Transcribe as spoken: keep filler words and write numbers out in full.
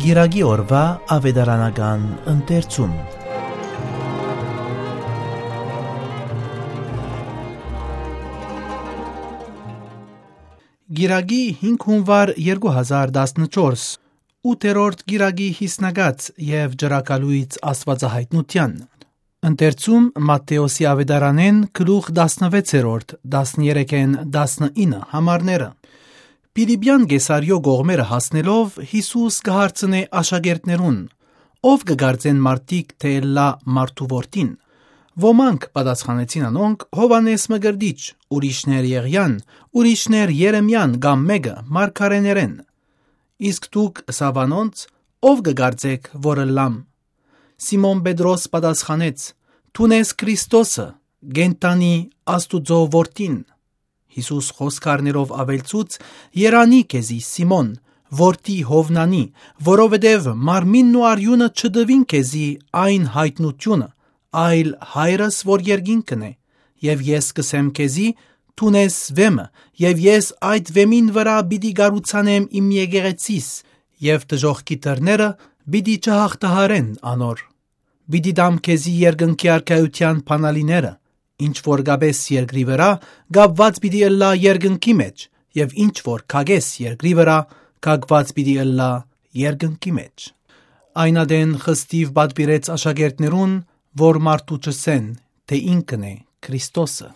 Կիրակի օրուայ աւետարանական ընթերցում։ Կիրակի հինգ հունուար երկու հազար տասնչորս, ութերորդ կիրակի յիսնակաց եւ ճրագալոյց աստուածահայտնութեան։ Ընթերցում Մատթէոսի աւետարանէն գլուխ տասնվեցերորդ, տասներեքէն տասնինը համարները։ Պիլիպեան Կեսարիոյ կողմերը հասնելով՝ Յիսուս կը հարցնէ աշակերտներուն. «Ո՞վ կը կարծեն մարդիկ թէ ըլլայ մարդու որդին»։ Ոմանք պատասխանեցին անոնք. «Յովհաննէս Մկրտիչ, ուրիշներ՝ Եղիան, ուրիշներ՝ Երեմիան կամ մէկը մարգարէներէն»։ Իսկ դուք, ըսաւ անոնց, «ո՞վ կը կարծէք որ ըլլամ»։ Սիմոն Պետրոս պատասխանեց. «Դուն ես Քրիստոսը, կենդանի Աստուծոյ Որդին»։ Յիսուս խօսք առնելով աւելցուց. «Երանի քեզի, Սիմոն, որդի Յովնանի, որովհետեւ մարմինն ու արիւնը չտուին քեզի այն յայտնութիւնը, այլ Հայրս որ երկինքն է։ Եւ ես կ'ըսեմ քեզի. դուն ես վէմը, եւ ես այդ վէմին վրայ պիտի կառուցանեմ իմ եկեղեցիս, եւ դժոխքի դռները պիտի չյաղթահարեն անոր։ Պիտի տամ քեզի երկնքի արքայութեան բանալիները. ինչ որ կապես երկրի վրայ, կապուած պիտի ըլլայ երկնքի մէջ, եւ ինչ որ քակես երկրի վրայ, քակուած պիտի ըլլայ երկնքի մէջ»։ Այն ատեն խստիւ պատուիրեց աշակերտներուն, որ մարդու չըսեն թէ ինքն է Քրիստոսը։